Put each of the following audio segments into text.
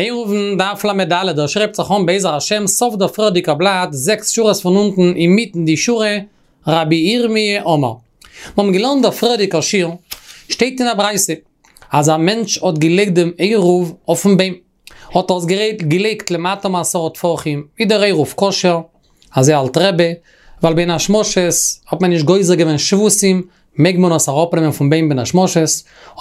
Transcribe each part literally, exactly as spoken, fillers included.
עירובין דף ל"ד, דער שרייבט זיך אן בעזר השם סוף דער פריערדיגער בלאט, זעקס שורות פון אונטן אינמיטן די שורה, רבי ירמי' אמר. מיר האבן געלערנט דער פריערדיגער שיעור, שטייט אין א ברייתא, אז א מענטש האט געלייגט דעם עירוב אויפן ביים, האט ער עס געלייגט למטה מעשרה טפחים, איז דער עירוב כשר, אזוי האלט רבי, ווייל בין השמשות האט מען נישט גוזר געווען שבותים, מעג מען עס אראפנעמען פון ביים בין השמשות,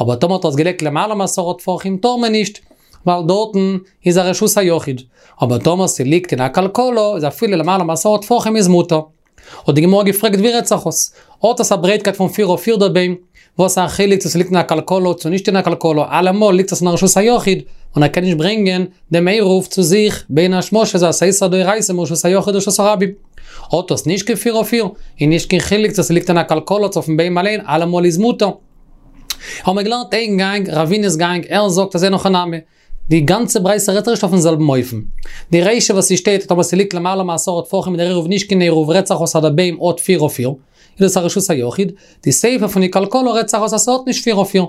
אבער טאמער האט ער עס געלייגט למעלה מעשרה טפחים טאר מען נישט, ווייל דארטן איז א רשות היחיד, אבער טאמער ס'ליגט אין א כלכלה איז אפילו למעלה מעשרה טפחים איז מותר. האט די גמרא געפרעגט ווי רעדט זיך עס? האט עס א ברייטקייט פון פיר אויף פיר דער ביים, וואס א חילוק צו ס'ליגט אין א כלכלה צו נישט אין א כלכלה, אלעמאל ליגט עס אין א רשות היחיד, און ער קען נישט ברענגען דעם עירוב צו זיך בין השמשות אז ס'איז איסור דאורייתא מרשות היחיד לרשות הרבים. האט עס נישט קיין פיר אויף פיר, איז נישט קיין חילוק צו ס'ליגט אין א כלכלה צו אויפן ביים אליין, אלעמאל איז מותר. האבן מיר געלערנט איין גאנג, רבינא'ס גאנג, ער זאגט אז אין הכי נמי, די גאנצע ברייתא רעדט זיך נישט אויפן זעלבן אופן. די רישא וואס ס'שטייט טאמער ס'ליגט למעלה מעשרה טפחים איז דער עירוב נישט קיין עירוב רעדט זיך אויס אז דער ביים האט פיר אויף פיר, איז דאס א רשות היחיד, די סיפא פון די כלכלה רעדט זיך אויס אז ס'האט נישט פיר אויף פיר.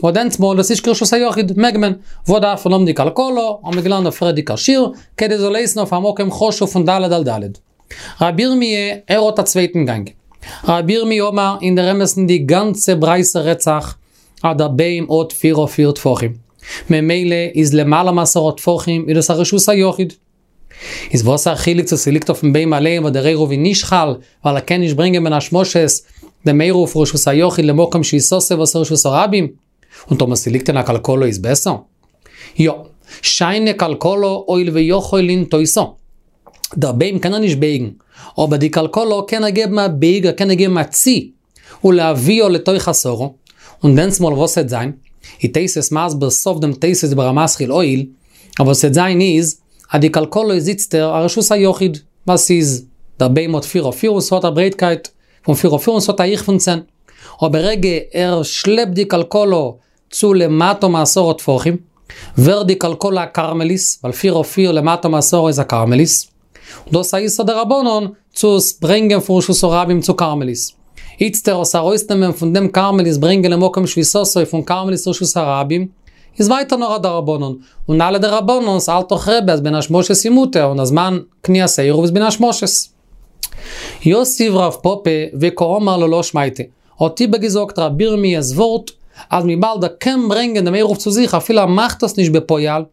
וואס דענסטמאל דאס נישט קיין רשות היחיד, מעג מען. וואס דארף מען האבן די כלכלה, האבן מיר געלערנט די פריערדיגע שיעור, כדי זאל הייסן אויף א מקום חשוב פון ד' על ד'. רבי ירמי' ער האט א צווייטן גאנג. רבי ירמי' אמר אין דער אמת'ן די גאנצע ברייתא רעדט זיך אז דער ביים האט פיר אויף פיר טפחים. ממילא איז למעלה מעשרה טפחים איז דאס א רשות היחיד. איז וואס א חילוק צו ס'ליגט אויפן ביים אליין וואס דער עירוב איז נישט חל ווייל ער קען נישט ברענגען בין השמשות דעם עירוב פון רשות היחיד למקום שביתתו וואס איז רשות הרבים. און טאמער ס'ליגט אין א כלכלה איז בעסער? יא. שאני כלכלה הואיל ויכול לנטותה. דער ביים קען ער נישט בייגן, אבער די כלכלה קען ער געבן א בייג, ער קען איר געבן א צי, ולהביאה לתוך עשרה, און דענסמאל וואס וועט זיין? איז תוס' מסביר סוף דעם תוס' דיבור המתחיל הואיל, אבער וואס וועט זיין איז, אז די כלכלה איז איצטער א רשות היחיד, ווייל ס'איז, דער ביים האט פיר אויף פיר און ס'האט א ברייטקייט פון פיר אויף פיר און ס'האט א הייך פון צען. אבער ברגע ער שלעפט די כלכלה צו למטה מעשרה טפחים, ווערט די כלכלה א כרמלית, ווייל פיר אויף פיר למטה מעשרה איז א כרמלית. און דאס איז א איסור דרבנן צו עס ברענגען פון רשות הרבים צו כרמלית. איצטער עס ארויסנעמען פון דעם כרמלית ברענגען למקום שביתתו פון כרמלית לרשות הרבים, איז ווייטער נאר א דרבנן, און אלע דרבנן'ס האלט דאך רבי אז בין השמשות איז מותר און אז זמן קניית העירוב איז בין השמשות. יתיב רב פפא וקאמר להא שמעתא, האט איבערגעזאגט רבי ירמיה'ס ווארט, אז וויבאלד ער קען ברענגען דעם עירוב צו זיך אפילו ער מאכט עס נישט בפועל,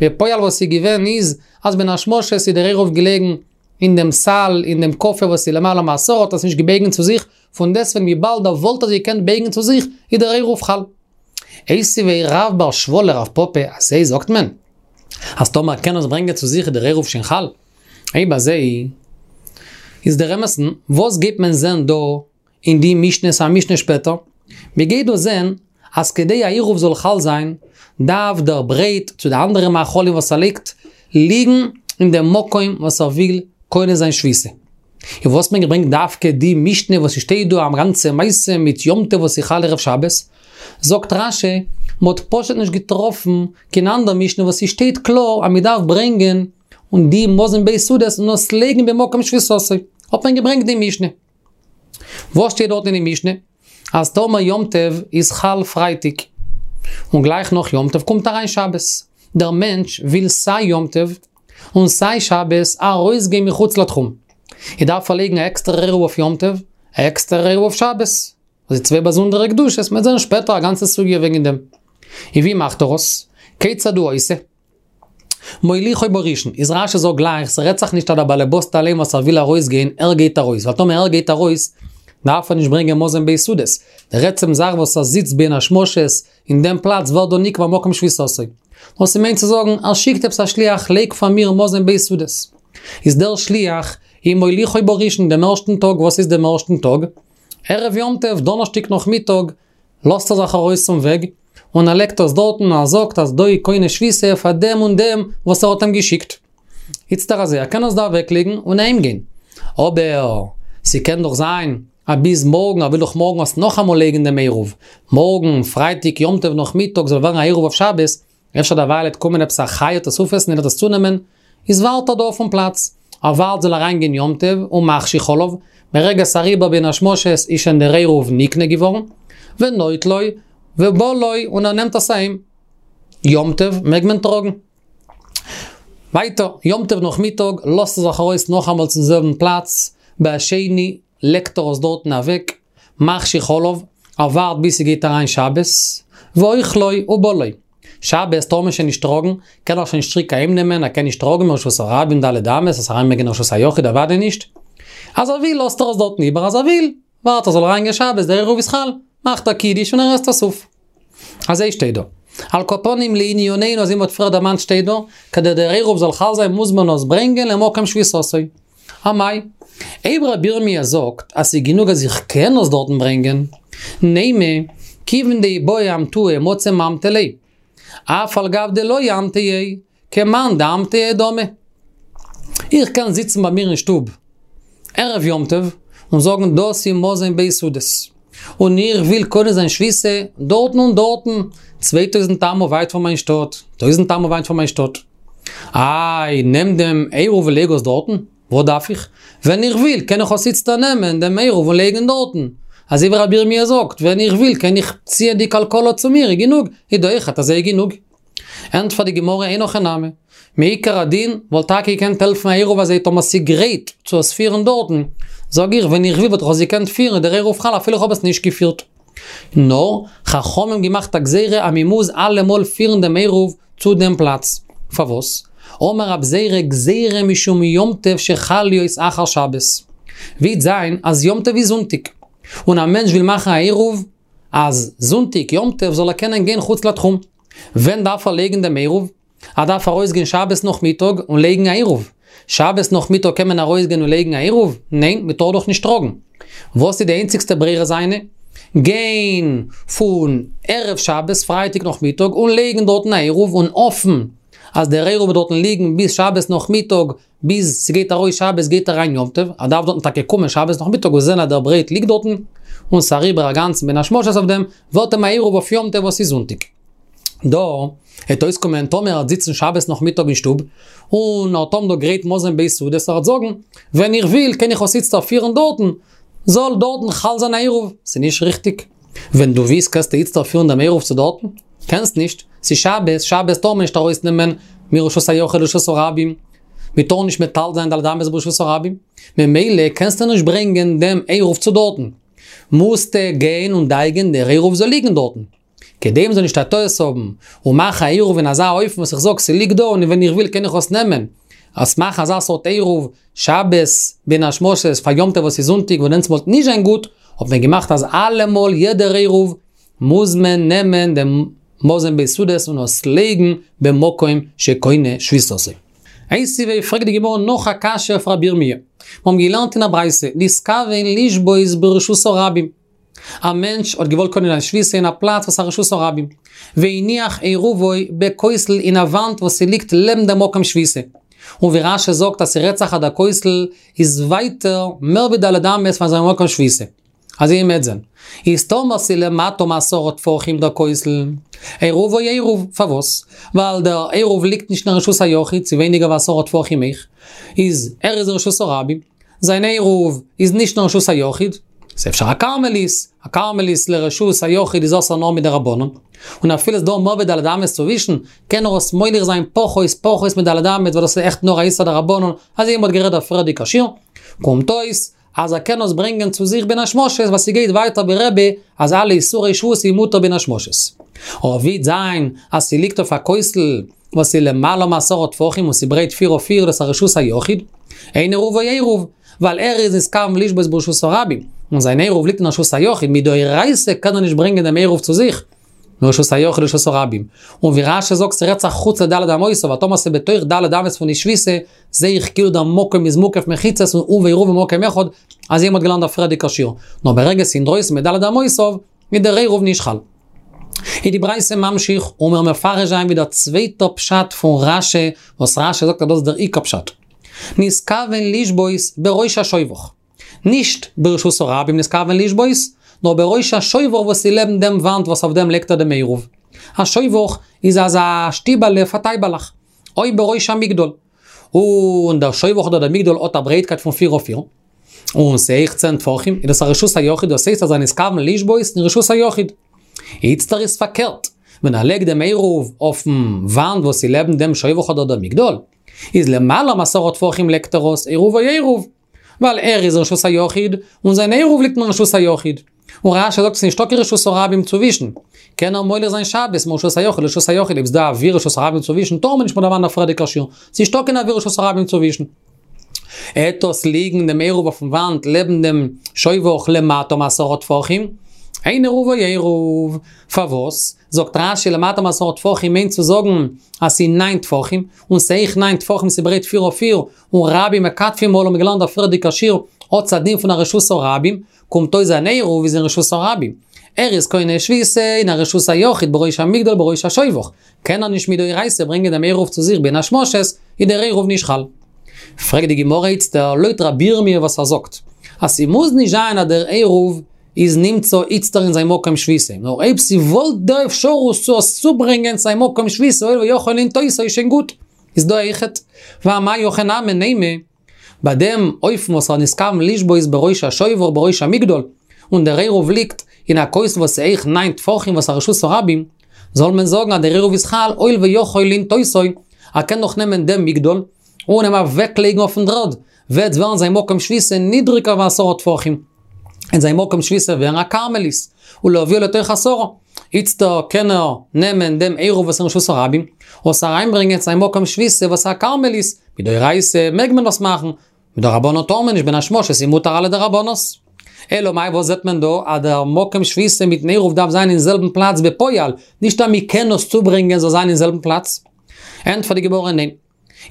בפועל וואס איז געווען איז, אז בין השמשות איז דער עירוב געלעגן אין דעם סל, אין דעם קאפע וואס איז למעלה מעשרה האט ער עס נישט געבויגן צו זיך, פון דעסטוועגן וויבאלד ער וואלט עס געקענט בייגן צו זיך, איז דער עירוב חל. איתיביה רב בר שבא לרב פפא, אזוי זאגט מען? אז טאמער ער קען עס ברענגען צו זיך איז דער עירוב שוין חל? אויב אזוי, איז דער אמת'ן, וואס גייט מען זען דא אין די משנה, ס'איז א משנה שפעטער, מען גייט דא זען אז כדי א עירוב זאל חל זיין, דארף דער ברויט צו די אנדערע מאכלים וואס ער לייגט, ליגן אין דעם מקום וואס ער וויל קונה זיין שביתה. און וואס האט מען געברענגט דווקא די משנה וואס ס'שטייט דא א גאנצע מעשה מיט יום טוב וואס איז חל ערב שבת? זאגט רש"י, מ'האט פשוט נישט געטראפן קיין אנדער משנה וואס ס'שטייט קלאר אז מ'דארף ברענגען און די מזון ב' סעודות און עס לייגן במקום שביתתו, האט מען געברענגט די משנה. וואס שטייט דארט אין די משנה? אז טאמער יום טוב איז חל פרייטאג, און גלייך נאך יום טוב קומט אריין שבת, דער מענטש וויל סיי יום טוב און סיי שבת ארויסגיין מחוץ לתחום, ער דארף ער לייגן א עקסטערע עירוב אויף יום טוב, א עקסטערע עירוב אויף שבת. דאס איז צוויי באזונדערע קדושות, מ'וועט זען שפעטער א גאנצע סוגיא וועגן דעם. און ווי מאכט ער עס? כיצד הוא עושה? מוליכו בראשון, איז רש"י זאגט גלייך, ס'רעדט זיך נישט אז דער באלעבאסט אליין וואס ער וויל ארויסגיין, ער גייט ארויס, ווייל טאמער ער גייט ארויס, דארף ער נישט ברענגען מזון ב' סעודות, דער עצם זאך וואס ער זיצט בין השמשות אין דעם פלאץ ווערט דא נקבע מקום שביתתו. נאר ס'מיינט צו זאגן, ער שיקט עפעס א שליח, לייג פאר מיר מזון ב' סעודות. איז דער שליח, איז מוליכו בראשון דעם ערשטן טאג, וואס איז דעם ערשטן טאג? ערב יום טוב, דאנערשטאג נאכמיטאג, לאזט ער זיך ארויס צום וועג, און ער לייגט עס דארטן און ער זאגט אז דא איז קונה שביתה פאר דעם און דעם וואס ער האט אים געשיקט. איצטער אזוי, ער קען עס דא אוועקלייגן און אהיימגיין. אבער, ס'קען דאך זיין אז ביז מארגן, ער וויל דאך מארגן עס נאכאמאל לייגן דעם עירוב. מארגן, פרייטאג יום טוב נאכמיטאג זאל ווערן א עירוב אויף שבת, אפשר דערווייל וועט קומען עפעס א חיה עס אויפעסן און וועט עס צונעמען, איז ווארט ער דא אויפן פלאץ, ער ווארט זאל אריינגיין יום טוב ומחשיך עליו, ברגע ס'אריבער בין השמשות איז שוין דער עירוב נקנה געווארן, ונוטלו ובא לו און ער נעמט עס אהיים. יום טוב מעג מען טראגן. ווייטער, יום טוב נאכמיטאג, לאזט ער זיך ארויס נאכאמאל צום זעלבן פלאץ, בהשני לייגט ער עס דארטן אוועק, מחשיך עליו, ער ווארט ביז ס'גייט אריין שבת, ואוכלו ובולעו. שבת טאר מען שוין נישט טראגן, קען ער שוין נישט צוריק אהיימנעמען, ער קען נישט טראגן מרשות הרבים ד' אמות, עס אריינברענגען אין רשות היחיד אוודאי נישט. אז ער וויל לאזט ער עס דארטן איבער, אז ער וויל ווארט ער זאל אריינגיין שבת, דער עירוב איז חל, מאכט ער קידוש און ער עסט עס אויף. אזוי שטייט דא. על כל פנים לענינינו אזוי מ'האט פריער דערמאנט שטייט דא, כדי דער עירוב זאל חל זיין מוז מען עס ברענגען למקום שביתתו. אמאי? אויב רבי ירמיה זאגט אז ס'איז גענוג אז איך קען עס דארטן ברענגען, נימא, כיוון דאיבעי אמטויי מצי ממטי ליה. אף על גב דלא אמטייה, כמאן דאמטייה דמי. איך קען זיצן ביי מיר אין שטוב ערב יום טוב און זאגן דאס איז מזון ב' סעודות, און איך וויל קונה זיין שביתה דארטן און דארטן, צוויי טויזנט אמה ווייט פון מיין שטאט, טויזנט אמה ווייט פון מיין שטאט. איי, נעם דעם עירוב און לייג עס דארטן? וואס דארף איך? ווען איך וויל קען איך עס איצטער נעמען דעם עירוב און לייגן דארטן. אזוי ווי רבי ירמיה זאגט, ווען איך וויל קען איך ציען די כלכלה צו מיר, איז גענוג, איז דא אויכעט אזוי גענוג. ענטפערט די גמרא אין הכי נמי, מעיקר הדין וואלט טאקע געקענט העלפן א עירוב אזוי טאמער ס'גרייט צו עס פירן דארטן, זאג איך ווען איך וויל וואלט איך עס געקענט פירן איז דער עירוב חל אפילו איך האב עס נישט געפירט. נאר, חכמים האבן געמאכט א גזירה אז מ'מוז אלעמאל פירן דעם עירוב צו דעם פלאץ. פארוואס? אמר רב זירא גזירה משום יום טוב שחל להיות אחר שבת. וועט זיין אז יום טוב איז זונטאג, און א מענטש וויל מאכן א עירוב אז זונטאג יום טוב זאל ער קענען גיין חוץ לתחום. ווען דארף ער לייגן דעם עירוב? ער דארף ארויסגיין שבת נאכמיטאג און לייגן א עירוב. שבת נאכמיטאג קען מען ארויסגיין און לייגן א עירוב? ניין, מען טאר דאך נישט טראגן. וואס איז די איינציגסטע ברירה זיינע? גיין פון ערב שבת, פרייטאג נאכמיטאג, און לייגן דארטן א עירוב און האפן אז דער עירוב וועט דארטן ליגן ביז שבת נאכמיטאג, ביז ס'גייט ארויס שבת גייט אריין יום טוב, ער דארף דארטן טאקע קומען שבת נאכמיטאג און זען אז דער ברעט ליגט דארטן, און ס'אריבער א גאנצן בין השמשות אויף דעם, ווערט אים א עירוב אויף יום טוב וואס איז זונטאג. דא העט אויסקומען טאמער ער העט זיצן שבת נאכמיטאג אין שטוב, און ער העט האבן דא גרייט מזון ב' סעודות, ער העט זאגן, ווען איך וויל קען איך עס איצטער פירן דארטן, זאל דארטן חל זיין א עירוב, ס'איז נישט ריכטיג. ווען דו ווילסט קענסטו איצטער פירן דעם עירוב צו דארטן? קענסט נישט, ס'איז שבת, שבת טאר מען נישט ארויסנעמען מרשות היחיד לרשות הרבים, מען טאר נישט מטלטל זיין ד' אמות ברשות הרבים, ממילא קענסטו נישט ברענגען דעם עירוב צו דארטן, מוזטו גיין און דאגה'ן דער עירוב זאל ליגן דארטן. כדי מ'זאל נישט א טעות האבן און מאכן א עירוב אין אזא אופן וואס איך זאג ס'ליגט דא און ווען איך וויל קען איך עס נעמען, אז מאכן אזא סארט עירוב שבת בין השמשות פאר יום טוב וואס איז זונטאג וואס דענסטמאל וואלט נישט זיין גוט, האט מען געמאכט אז אלעמאל יעדער עירוב מוז מען נעמען דעם מזון ב' סעודות און עס לייגן במקום שקונה שביתתו. איתיביה פרעגט די גמרא נאך א קשיא אויף רבי ירמי'. מיר האבן געלערנט אין א ברייתא, נתכוון לשבות ברשות הרבים. א מענטש האט געוואלט קונה זיין שביתה אין א פלאץ וואס איז א רשות הרבים, והניח עירובו בכותל אין א וואנט וואס ס'ליגט לעבן דעם מקום שביתה. און ווי רש"י זאגט אז ס'רעדט זיך אז דער כותל איז ווייטער מער ווי ד' אמות פון זיין מקום שביתה. אזוי ווי מ'עט זען. איז טאמער ס'איז למטה מעשרה טפחים דער כותל, עירובו עירוב, פארוואס? ווייל דער עירוב ליגט נישט אין רשות היחיד, ס'איז ווייניגער ווי עשרה טפחים אויך, איז ער איז אין רשות הרבים, זיין עירוב איז נישט אין רשות היחיד, ס'איז אפשר א כרמלית, א כרמלית לרשות היחיד איז אסור נאר מדרבנן, און אפילו ס'דא מער ווי ד' אמות צווישן, קען ער עס מוליך זיין פחות פחות מד' אמות ווייל דאס איז עכט נאר א איסור דרבנן, אזוי ווי מ'האט גערעדט דער פריערדיגע שיעור, קומט אויס אז ער קען עס ברענגען צו זיך בין השמשות ווייל ס'גייט ווייטער ווי רבי אז אלע איסורי שבות איז מותר בין השמשות. אבער ווי וועט זיין אז ס'ליגט אויף א כותל וואס איז למעלה מעשרה טפחים און ס'ברייט פיר אויף פיר דאס איז א רשות היחיד, אין עירובו עירוב, ווייל ער איז נתכוון לשבות ברשות הרבים, און זיין עירוב ליגט אין רשות היחיד, מדאורייתא קען ער נישט ברענגען דעם עירוב צו זיך, מרשות היחיד לרשות הרבים. און ווי רש"י זאגט ס'רעדט זיך חוץ לד' אמות, אבער טאמער ס'איז בתוך ד' אמות פון די שביתה, זעה איך כאילו דער מקום איז מוקף מחיצות און הוא ועירובו במקום אחד, אזוי ווי מ'האט געלערנט דער פריערדיגער שיעור. נאר ברגע ס'איז אינדרויסן מד' אמותיו, איז דער עירוב נישט חל. איז די ברייתא ממשיך און מיר מפרש זיין ווי דער צווייטער פשט פון רש"י, וואס רש"י זאגט אז דאס איז דער עיקר פשט. נתכוון לשבות בראש השובך. נישט ברשות הרבים נתכוון לשבות, נאר בראש השובך וואס איז לעבן דעם וואנט וואס אויף דעם לייגט ער דעם עירוב. א שובך איז אזא שטיבעלע פאר טייבעלעך. או בראש המגדל. און דער שובך אדער דער מגדל האט א ברייטקייט פון פיר אויף פיר. און ס'הויך צען טפחים, איז דאס א רשות היחיד, דאס הייסט אז ער נתכוון לשבות אין רשות היחיד. איצטער איז פארקערט, ווען ער לייגט דעם עירוב אויפן וואנט וואס איז לעבן דעם שובך אדער דער מגדל, איז למעלה מעשרה טפחים לייגט ער עס עירובו עירוב. ווייל ער איז רשות היחיד, און זיין עירוב ליגט אין רשות היחיד. און רש"י זאגט ס'איז נישטא קיין רשות הרבים צווישן. קען ער מוליך זיין שבת מרשות היחיד לרשות היחיד, אויב ס'דא אוויר רשות הרבים צווישן, טאר מען נישט מ'האט דערמאנט א פריערדיגע שיעור. ס'נישטא קיין אוויר רשות הרבים צווישן. וועט עס ליגן דעם עירוב אויפן וואנט לעבן דעם שובך למטה מעשרה טפחים, אין עירובו עירוב. פארוואס? זאגט רש"י למטה מעשרה טפחים מיינט צו זאגן אז ס'איז ניין טפחים, און ס'הויך ניין טפחים ס'ברייט פיר אויף פיר, און רבים מכתפין עליו מ'האט געלערנט א פריערדיגע שיעור האט עס א דין פון א רשות הרבים, קומט אויס זיין עירוב איז אין רשות הרבים. ער איז קונה שביתה אין א רשות היחיד בראש המגדל בראש השובך. קען ער נישט מדאורייתא ברענגען דעם עירוב צו זיך בין השמשות, איז דער עירוב נישט חל. פרעגט די גמרא איצטער לויט רבי ירמי' וואס ער זאגט אז ס'מוז נישט זיין אז דער עירוב איז נמצא איצטער אין זיין מקום שביתה, נאר אויב ס'וואלט דא אפשרות צו עס צוברענגען צו זיין מקום שביתה הואיל ויכול לנטותו איז שוין גוט, איז דא אויכעט ואמאי הכי נמי נימא, ביי דעם אופן וואס ער נתכוון לשבות בראש השובך בראש המגדל, און דער עירוב ליגט אין א כותל וואס איז הויך ניין טפחים וואס א רשות הרבים, זאל מען זאגן אז דער עירוב איז חל הואיל ויכול לנטותו, ער קען דאך נעמען דעם מגדל און אים אוועקלייגן אויפן דר'ערד, וועט ווערן זיין מקום שביתה נידריגער ווי עשרה טפחים, און זיין מקום שביתה ווערן א כרמלית, ולהביאה לתוך עשרה. איצטער קען ער נעמען דעם עירוב וואס איז אין רשות הרבים, און עס אריינברענגען צו זיין מקום שביתה וואס איז א כרמלית, מדאורייתא מעג מען דאס מאכן, מדרבנן טאר מען נישט בין השמשות איז מותר אלע דרבנן'ס. אלא מאי וואס זעט מען דא אז דער מקום שביתה מיטן עירוב דארף זיין אין זעלבן פלאץ בפועל, נישט אז מען קען עס צוברענגען זאל זיין אין זעלבן פלאץ? ענטפערט די גמרא ניין.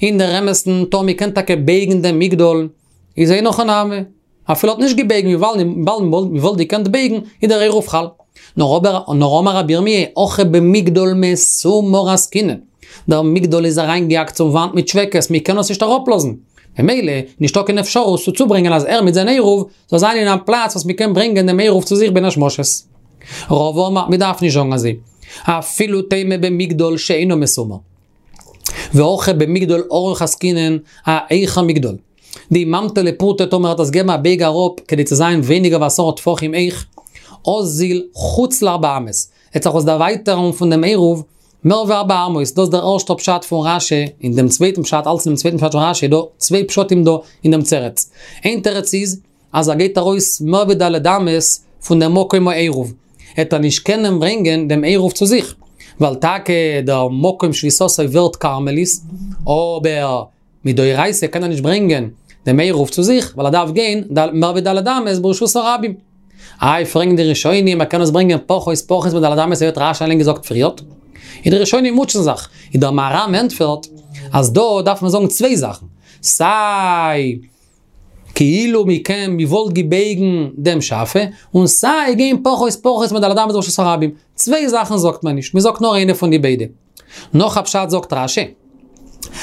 אין דער אמת'ן טאמער מ'קען טאקע בייגן דעם מגדל, איז אין הכי נמי, אפילו האט נישט געבייגן וויבאלד מ'וואלט געקענט בייגן איז דער עירוב חל. נאר אבער נאר אמר רבי ירמי' הכא במגדל מסומר עסקינן, דער מגדל איז אריינגעהאקט צום וואנט מיט טשוועקעס מ'קען עס נישט אראפלאזן, ממילא נישטא קיין אפשרות צו צוברענגען אז ער מיט זיין עירוב זאל זיין אין א פלאץ וואס מ'קען ברענגען דעם עירוב צו זיך בין השמשות. רבא אמר, מ'דארף נישט זאגן אזוי, אפילו תימא במגדל שאינו מסומר. והכא במגדל ארוך עסקינן, א הויכע מגדל. דאי ממטי ליה פורתא טאמער ער וועט עס געבן א בייג אראפ כדי צו זיין ווייניגער ווי עשרה טפחים הויך, אזיל חוץ לארבע אמות, עט זיך עס דערווייטערן פון דעם עירוב מער ווי ארבע אמות, דאס איז דער ערשטער פשט פון רש"י, אין דעם צווייטן פשט, אלץ אין דעם צווייטן פשט פון רש"י איז דא צוויי פשטים דא אין דעם תירוץ. איין תירוץ איז, אז ער גייט ארויס מער ווי ד' אמות פון דעם מקום העירוב, העט ער נישט קענען ברענגען דעם עירוב צו זיך, ווייל טאקע דער מקום שביתתו ווערט כרמלית, אבער מדאורייתא קען ער נישט ברענגען דעם עירוב צו זיך, ווייל ער דארף גיין מער ווי ד' אמות ברשות הרבים. איי פרעגן די ראשונים ער קען עס ברענגען פחות פחות מד' אמות אזוי האט רש"י אליין געזאגט פריערט. און די ראשונים מוטשען זיך, און דער מהר"ם ענטפערט אז דא דארף מען זאגן צוויי זאכן, סיי כאילו מ'קען מ'וואלט געבויגן דעם שאפע, און סיי גיין פחות פחות מד' אמות ברשות הרבים. צוויי זאכן זאגט מען נישט, מ'זאגט נאר איינע פון די ביידע. נאך א פשט זאגט רש"י,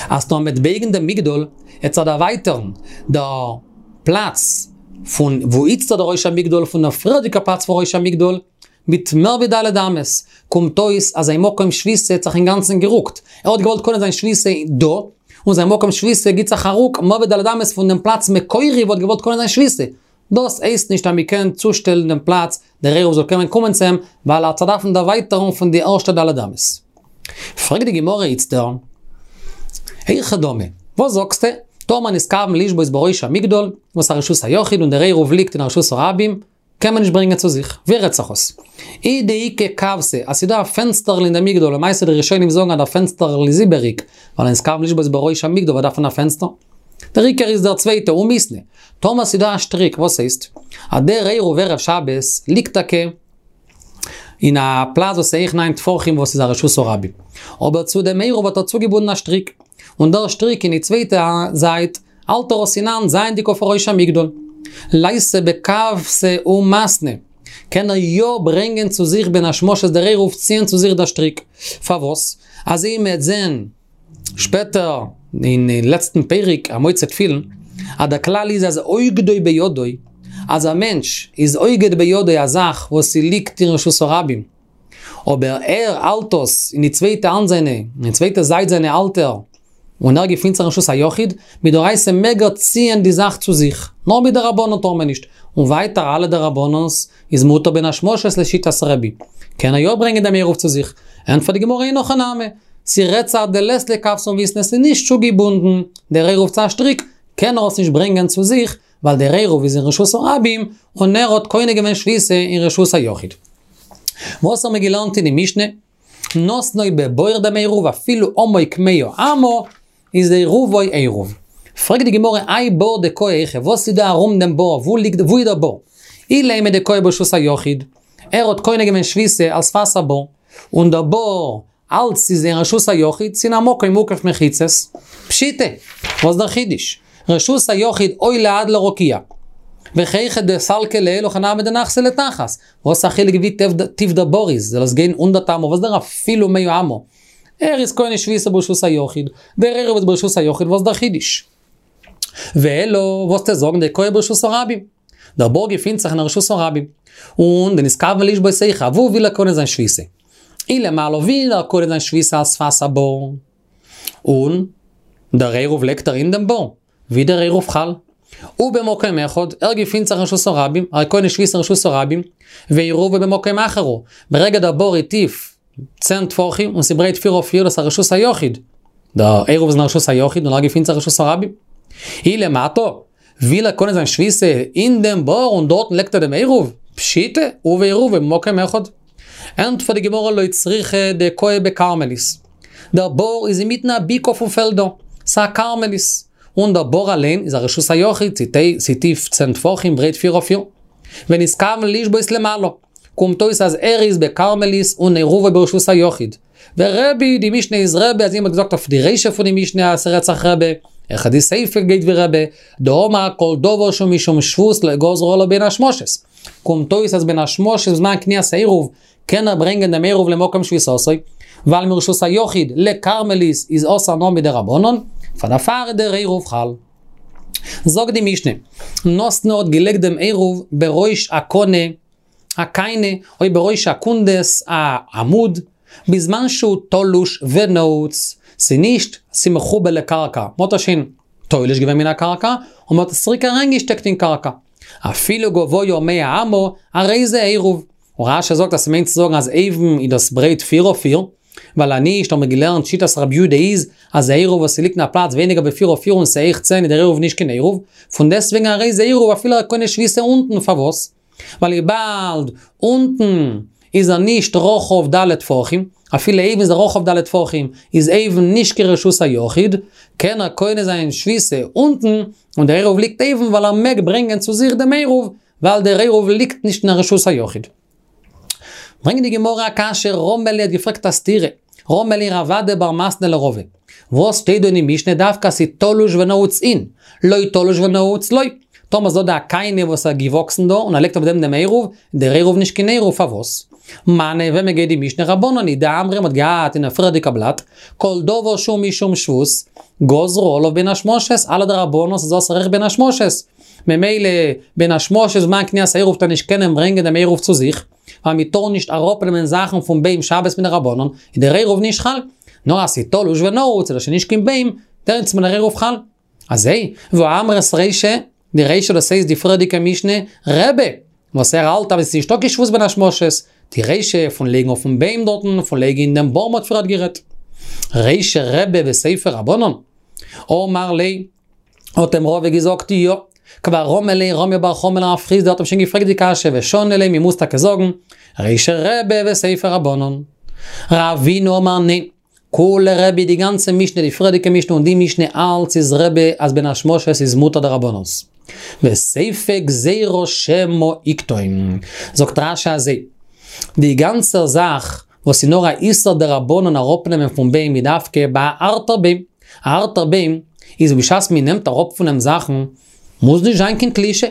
אז טאמער מ'עט בייגן דעם מגדל, עט זיך דערווייטערן דער פלאץ פון וואו איצטער דער ראש המגדל פון דער פריערדיגער פלאץ פון ראש המגדל, מיט מער ווי ד' אמות, קומט אויס אז זיין מקום שביתה האט זיך אינגאנצן גערוקט, ער האט געוואלט קונה זיין שביתה דא, און זיין מקום שביתה גיט זיך א רוק מער ווי ד' אמות פון דעם פלאץ מקורי וואו ער האט געוואלט קונה זיין שביתה. דאס הייסט נישט אז מען קען צושטעלן דעם פלאץ דער עירוב זאל קענען קומען צו אים, ווייל ער האט זיך דארפן דערווייטערן פון די ערשטע ד' אמות. פרעגט די גמרא איצטער, היכי דמי, וואס זאגסטו, טאמער נתכוון לשבות בראש המגדל, וואס א רשות היחיד און דער עירוב ליגט אין א רשות הרבים, קען מען נישט ברענגען צו זיך, ווי רעדט זיך אויס? אי דאיכא כוותא, אז ס'דא א פענסטערל אין די מגדל, למעשה די ראשונים זאגן אז דער פענסטערל איז איבעריג, ווייל נתכוון לשבות בראש המגדל וואס דארף מען א פענסטער? דער עיקר איז דער צווייטע, ומיתנא. טאמער ס'דא א שטריק, וואס הייסט? אז דער עירוב ערב שבת ליגט טאקע אין א פלאץ וואס איז הויך ניין טפחים וואס איז א רשות הרבים. אבער צו דעם עירוב האט ער צוגעבונדן א שטריק, און דער שטריק אין די צווייטע זייט האלט ער עס אין האנט זייענדיג אויף ראש המגדל. ליתא בכוותא ומתנא, קען ער יא ברענגען צו זיך בין השמשות דער עירוב ציען צו זיך דער שטריק. פארוואס? אזוי מ'עט זען שפעטער אין לעצטן פרק המוציא תפילין, אז דער כלל איז אז אוגדו בידו, אז א מענטש איז אוגד בידו א זאך וואס ס'ליגט אין רשות הרבים, אבער ער האלט עס אין די צווייטע האנט זיינע, אין די צווייטע זייט זיינע האלט ער, און ער געפינט זיך אין רשות היחיד, מדאורייתא מעג ער ציען די זאך צו זיך, נאר מדרבנן טאר מען נישט, און ווייטער אלע דרבנן'ס איז מותר בין השמשות לשיטת רבי. קען ער יא ברענגען דעם עירוב צו זיך? ענטפערט די גמרא אין הכי נמי, ס'רעדט זיך דלית ליה כוותא ומיתנא, ס'איז נישט צוגעבונדן דער עירוב צו א שטריק, קען ער עס נישט ברענגען צו זיך, ווייל דער עירוב איז אין רשות הרבים, און ער האט קונה געווען שביתה אין רשות היחיד. וואס האבן מיר געלערנט אין די משנה? נתנו בבור דעם עירוב אפילו עמוק מאה אמה, איז עירובו עירוב. פרעגט די גמרא האי בור דקאי היכא, וואס איז דא ארום דעם בור, וואו ליגט, וואו איז דער בור? אילימא דקאי ברשות היחיד, ער האט קונה געווען שביתה על שפת הבור, און דער בור אלץ איז אין רשות היחיד, ס'אין א מקום מוקף מחיצות, פשיטא, וואס דער חידוש? רשות היחיד עולה עד לרקיע, וכי דסלקא לעילא הכי נמי דנחתי לתחת, וואס א חילוק ווי טיף דער בור איז, זאל עס גיין הונדערט אמה, וואס דער אפילו מאה אמה? ער איז קונה שביתה ברשות היחיד, דער עירוב איז ברשות היחיד, וואס דער חידוש? ואלא, וואס וועסטו זאגן דקאי ברשות הרבים? דער בור געפינט זיך אין רשות הרבים, און דנתכוון לשבות היכא, וואו וויל ער קונה זיין שביתה? אי למעלה וויל ער קונה זיין שביתה על שפת הבור, און דער עירוב לייגט ער אין דעם בור, ווי דער עירוב חל. ובמקום אחד, ער געפינט זיך אין רשות הרבים, ער קונה שביתה אין רשות הרבים, ועירובו במקום אחר הוא. ברגע דער בור איז טיף צען טפחים און ס'ברייט פיר אויף פיר, דאס איז א רשות היחיד. דער עירוב איז אין רשות היחיד און ער געפינט זיך אין רשות הרבים. אי למטה, וויל ער קונה זיין שביתה אין דעם בור און דארטן לייגט ער דעם עירוב, פשיטא, הוא ועירובו במקום אחד. ענטפערט די גמרא לא צריכא דקאי בכרמלית. דער בור איז אינמיטן א בקעה פון פעלדער, ס'א כרמלית. און דער בור אליין איז א רשות היחיד, ס'טיף צען טפחים, ברייט פיר אויף פיר. ונתכוון לשבות למעלה. קומט אויס אז ער איז בכרמלית און עירובו ברשות היחיד. ורבי, די משנה איז רבי, אזוי מ'האט געזאגט אויף די רישא פון די משנה אז ס'רעדט זיך רבי, אויך די סיפא גייט ווי רבי, דאמר כל דבר שהוא משום שבות לא גזרו עליו בין השמשות. קומט אויס אז בין השמשות בזמן קניית העירוב קען ער ברענגען דעם עירוב למקום שביתתו, ווייל מרשות היחיד לכרמלית איז אסור נאר מדרבנן, פאר דערפאר איז דער עירוב חל. זאגט די משנה, נתנו האט געלייגט דעם עירוב בראש הקנה, א קיינע, או בראש הקונדס, א עמוד, בזמן שהוא תלוש ונעוץ, ס'נישט ס'מחובר לקרקע, מ'האט עס שוין תולש געווען מן הקרקע, און מ'האט עס צוריק אריינגעשטעקט אין קרקע. אפילו גבוה מאה אמה, הרי זה עירוב. און רש"י זאגט אז ס'מיינט צו זאגן אז אויבן איז דאס ברייט פיר אויף פיר, ווייל אנישט האבן מיר געלערנט שיטת רבי יהודה איז אז א עירוב וואס ס'ליגט אין א פלאץ ווייניגער ווי פיר אויף פיר און ס'הויך צען איז דער עירוב נישט קיין עירוב, פון דעסטוועגן הרי זה עירוב אפילו ער קונה שביתה אונטן, פארוואס? ווייל וויבאלד אונטן איז ער נישט רחב ד' טפחים, אפילו אויבן איז ער רחב ד' טפחים, איז אויבן נישט קיין רשות היחיד, קען ער קונה זיין שביתה אונטן, און דער עירוב ליגט אויבן ווייל ער מעג ברענגען צו זיך דעם עירוב, ווייל דער עירוב ליגט נישט אין א רשות היחיד. ברענגט די גמרא א קשיא, רמי ליה האט געפרעגט א סתירה, רמי ליה רב אדא בר מתנה לרבא, וואס שטייט דא אין די משנה דווקא אז ס'איז תלוש ונעוץ אין, לא תלוש ונעוץ לא, טאמער איז דא דא א קנה וואס איז געוואקסן דא און ער לייגט אויף דעם דעם עירוב, איז דער עירוב נישט קיין עירוב, פארוואס? מני וועמען גייט די משנה רבנן היא דאמרי מ'האט געהאט אין א פריערדיגע בלאט, כל דבר שהוא משום שבות, גזרו עליו בין השמשות, אלע דרבנן'ס איז אסור אויך בין השמשות, ממילא בין השמשות זמן קניית העירוב וועט ער נישט קענען ברענגען דעם עירוב צו זיך, ווייל מען טאר נישט אראפנעמען זאכן פון ביים שבת מדרבנן, איז דער עירוב נישט חל. נאר אז ס'איז תלוש ונעוץ איז דאס שוין נישט קיין ביים, דעמאלטס איז דער עירוב חל. אזוי, והא אמרת רישא, די רישא דאס הייסט די פריערדיגע משנה, רבי, וואס ער האלט אז עס איז נישטא קיין שבות בין השמשות, די רישא פון לייגן אויפן ביים דארטן, פון לייגן אין דעם בור מ'האט פריערט גערעדט. רישא רבי וסיפא רבנן. אמר ליה, האט אים רבא געזאגט יא, כבר רמי ליה רמי בר חמא לרב חסדא האט אים שוין געפרעגט די קשיא ושני ליה מ'מוז טאקע זאגן רישא רבי וסיפא רבנן. רבינא אמר ניין, כולה רבי די גאנצע משנה די פריערדיגע משנה און די משנה אלץ איז רבי אז בין השמשות איז מותר דרבנן'ס. וסיפא גזירה שמא יקטום. זאגט רש"י אזוי, די גאנצע זאך וואס איז נאר א איסור דרבנן אראפנעמען פון ביים איז דווקא ביי א הארטער ביים, א הארטער ביים איז בשעת מען נעמט אראפ פון אים זאכן מוז נישט זיין קיין תלישה,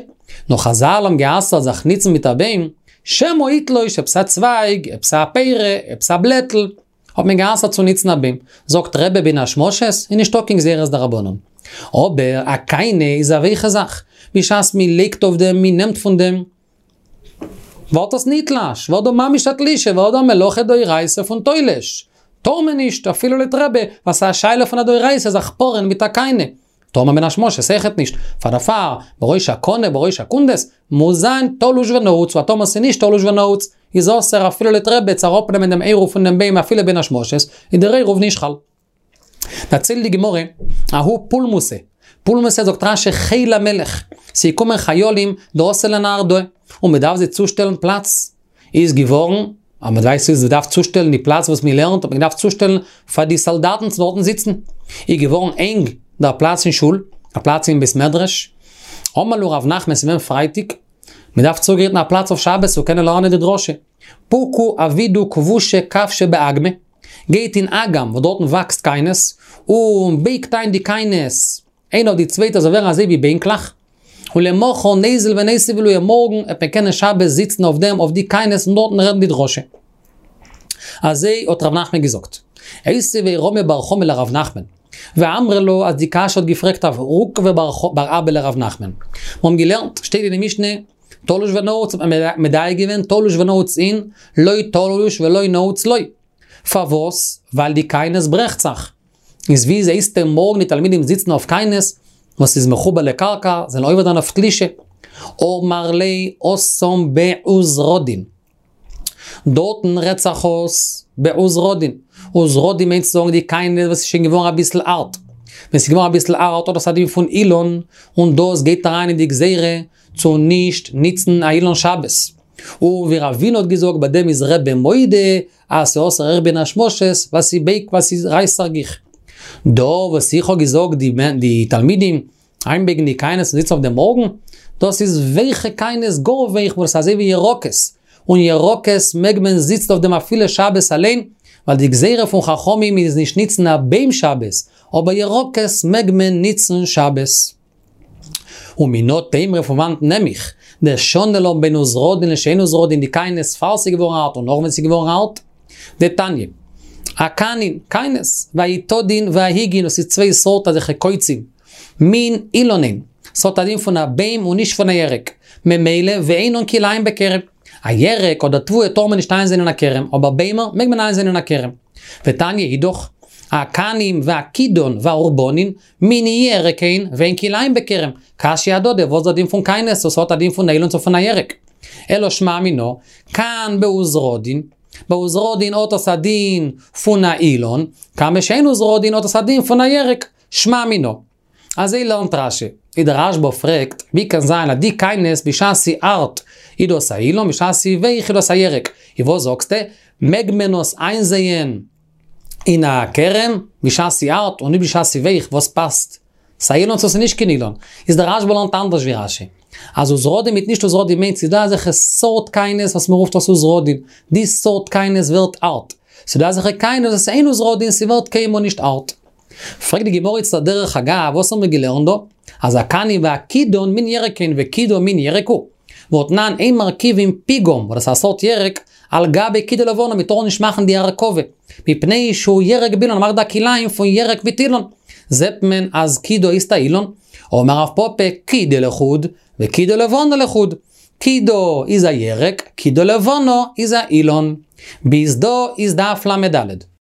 נאר חזל האבן גע'אסר'ט זיך ניצן מיט א ביים, שמא יתלוש עפעס א צווייג, עפעס א פרי, עפעס א בלעטל, האט מען גע'אסר'ט צו ניצן א ביים, זאגט רבי בין השמשות איז נישטא קיין גזירת דרבנן. אבער א קנה איז א ווייכע זאך, בשעת מען לייגט אויף דעם, מען נעמט פון דעם, ווערט עס נתלש, ווערט דא ממש א תלישה, ווערט דא א מלאכה דאורייתא פון תולש. טאר מען נישט, אפילו לויט רבי, ווייל ס'איז א שאלה פון א דאורייתא זיך פארען מיט א קנה. טאר מען בין השמשות אויכעט נישט, פאר דערפאר, בראש הקנה, בראש הקונדס, מוז זיין תלוש ונעוץ, ווייל טאמער ס'איז נישט תלוש ונעוץ, איז אסור אפילו לויט רבי צו אראפנעמען דעם עירוב פון דעם ביים אפילו בין השמשות, איז דער עירוב נישט חל. דערציילט די גמרא, ההוא פולמוסא, פולמוסא זאגט רשי חיל המלך, ס'איז געקומען חיילים דאתו לנהרדעא, און מ'דארף זיי צושטעלן פלאץ, איז געווארן, אז מען ווייסט ווי מ'דארף צושטעלן די פלאץ וואס מען לערנט, האט מען געדארפט צושטעלן פאר די סאלדאטן צו דארטן זיצן. איז געווארן ענג דער פלאץ אין שול, דער פלאץ אין בית מדרש. אמר להו רב נחמן ס'איז געווען פרייטאג, מען דארף צוגרייטן א פלאץ אויף שבת צו קענען לערנען די דרשה. פוקו עבידו כבושי כבשי באגמא, גייט אין אגם וואס דארטן וואקסט קיינעס, און בייגט איין די קיינעס איינע אויף די צווייטע זאל ווערן אזוי ווי בענקלעך, ולמחר ניזיל וניתיב עלייהו מארגן וועט מען קענען שבת זיצן אויף דעם אויף די קיינעס און דארטן רעדן די דרשה. אזוי האט ר' נחמן געזאגט. איתיביה רמי בר חמא לר' נחמן. ואמרי לה אז די קשיא האט געפרעגט אויף רוקבא בר אבא לר' נחמן. מיר האבן געלערנט, שטייט אין די משנה, תלוש ונעוץ האט מען מדייק געווען תלוש ונעוץ אין, לא תלוש ולא נעוץ לא. פארוואס? ווייל די קיינעס ברעכט זיך. איז ווי הייסטו מארגן די תלמידים זיצן אויף קיינעס וואס איז מחובר לקרקע, זענען עובר דאן אויף תלישה. אמר ליה התם בעוזרדין. דארטן רעדט זיך אויס בעוזרדין. עוזרדין מיינט צו זאגן די קיינעס וואס איז שוין געווארן אביסל הארט. ווען ס'איז געווארן אביסל הארט האט עס א דין פון אילן, און דאס גייט אריין אין די גזירה צו נישט ניצן א אילן שבת. און ווי רבינא האט געזאגט ביי דעם איז רבי מודה אז ס'אסור אויך בין השמשות ווייל ס'בייגט ווייל ס'רייסט זיך גיך. דא וואס איך האב געזאגט די תלמידים איינבייגן די קיינעס און זיצן אויף דעם מארגן, דאס איז ווייכע קיינעס גאר ווייך וואס איז אזוי ווי ירקות, און ירקות מעג מען זיצן אויף דעם אפילו שבת אליין, ווייל די גזירה פון חכמים איז נישט ניצן א ביים שבת, אבער ירקות מעג מען ניצן שבת. ומנא תימרא פון וואנט נעם איך דשני לן בין עוזרדין לשאין עוזרדין די קיינעס פאר ס'איז געווארן הארט און נאך ווען ס'איז געווארן הארט? דתניא. הקנין, קיינעס, והעיטדין וההיגין דאס איז צוויי סארט אזעלכע קוצים. מין אילן הן. ס'האט א דין פון א ביים און נישט פון א ירק. ממילא ואינן כלאיים בכרם. א ירק אדער תבואה טאר מען נישט איינזייען אין א כרם, אבער ביימער מעג מען איינזייען אין א כרם. ותניא אידך, הקנים והכידון והעורבנין, מין ירק הן ואין כלאיים בכרם. קשיא אהדדי, וואס איז דער דין פון קיינעס וואס האט א דין פון אילן צו פון א ירק? אלא שמע מינה, כאן בעוזרדין, בעוזרדין האט עס א דין פון א אילן, כאן בשאין עוזרדין האט עס א דין פון א ירק, שמע מינה. אזוי לערנט רשי. איז דער רשבא פרעגט, ווי קען זיין אז די קיינעס בשעת ס'איז הארט איז דאס א אילן, בשעת ס'איז ווייך איז דאס א ירק? איז וואס זאגסטו? מעג מען עס איינזייען אין א כרם בשעת ס'איז הארט און נישט בשעת ס'איז ווייך, וואס פאסט? ס'איז א אילן צו ס'איז נישט קיין אילן? איז דער רשבא לערנט אנדערש ווי רשי. אז עוזרדין מיט נישט עוזרדין מיינט ס'איז דא אזעלכע סארט קיינעס וואס מ'רופט עס עוזרדין, די סארט קיינעס ווערט הארט. ס'איז דא אזעלכע קיינעס וואס אין עוזרדין ס'ווערט קיינמאל נישט הארט. פרעגט די גמרא איצטער דרך אגב, וואס האבן מיר געלערנט דא? אז הקנים והכידון מין ירק הן וכידון מין ירק הוא. והתנן אין מרכיבים פיגם, וואס דאס איז א סארט ירק, על גבי קידה לבנה, מען טאר נישט מאכן די הרכבה, מפני שהוא ירק באילן, מ'מאכט דא כלאיים פון ירק מיט אילן. זעט מען אז קידה הייסט א אילן. אמר רב פפא, קידה לחוד, וקידה לבנה לחוד. קידה איז א ירק, קידה לבנה איז א אילן. ביז דא איז דף לד.